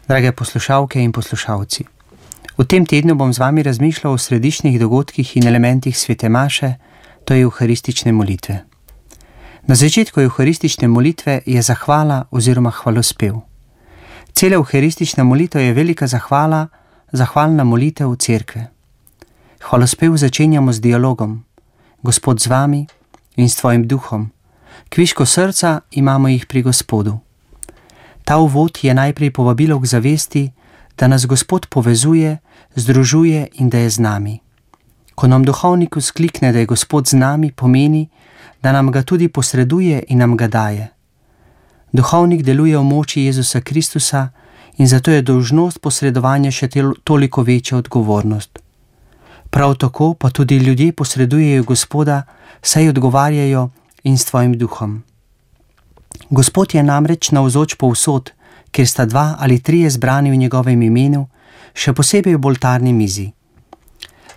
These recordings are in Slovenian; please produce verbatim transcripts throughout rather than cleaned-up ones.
Drage poslušalke in poslušalci, v tem tednu bom z vami razmišljal o središčnih dogodkih in elementih svete maše, to je euharistične molitve. Na začetku euharistične molitve je zahvala oziroma hvalospev. Cela euharistična molitev je velika zahvala, zahvalna molitev cerkve. Hvalospev začenjamo z dialogom: Gospod z vami in s tvojim duhom. Kviško srca imamo jih pri Gospodu. Ta uvod je najprej povabilo k zavesti, da nas Gospod povezuje, združuje in da je z nami. Ko nam duhovnik vzklikne, da je Gospod z nami, pomeni, da nam ga tudi posreduje in nam ga daje. Duhovnik deluje v moči Jezusa Kristusa in zato je dolžnost posredovanja še toliko večja odgovornost. Prav tako pa tudi ljudje posredujejo Gospoda, saj odgovarjajo in s tvojim duhom. Gospod je namreč navzoč povsod, kjer sta dva ali trije zbrani v njegovem imenu, še posebej v oltarni mizi.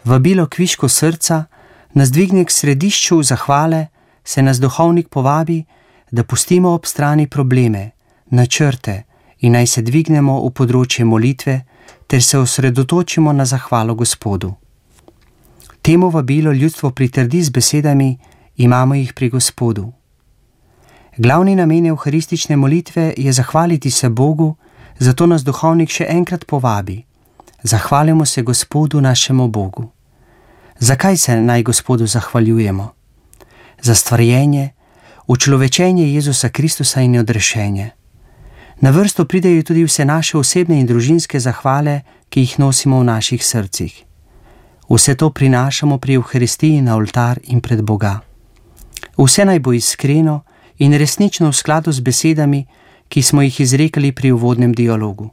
Vabilo kviško srca nas dvigne k središču zahvale, se nas duhovnik povabi, da pustimo ob strani probleme, načrte in naj se dvignemo v področje molitve ter se osredotočimo na zahvalo Gospodu. Temu vabilo ljudstvo pritrdi z besedami: imamo jih pri Gospodu. Glavni namen euharistične molitve je zahvaliti se Bogu, zato nas duhovnik še enkrat povabi: zahvalimo se Gospodu našemu Bogu. Zakaj se naj Gospodu zahvaljujemo? Za stvarjenje, učlovečenje Jezusa Kristusa in odrešenje. Na vrsto pridejo tudi vse naše osebne in družinske zahvale, ki jih nosimo v naših srcih. Vse to prinašamo pri Evharistiji na oltar in pred Boga. Vse naj bo iskreno in resnično v skladu z besedami, ki smo jih izrekali pri uvodnem dialogu.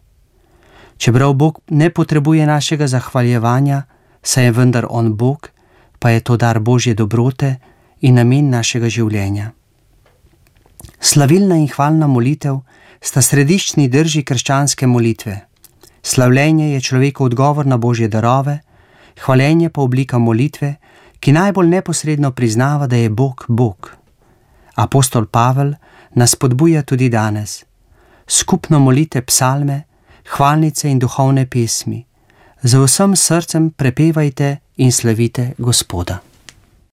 Čeprav Bog ne potrebuje našega zahvaljevanja, saj je vendar On Bog, pa je to dar Božje dobrote in namen našega življenja. Slavilna in hvalna molitev sta središčni drži krščanske molitve. Slavljenje je človekov odgovor na Božje darove, hvalenje pa oblika molitve, ki najbolj neposredno priznava, da je Bog Bog. Apostol Pavel nas spodbuja tudi danes. Skupno molite psalme, hvalnice in duhovne pesmi. Z vsem srcem prepevajte in slavite Gospoda.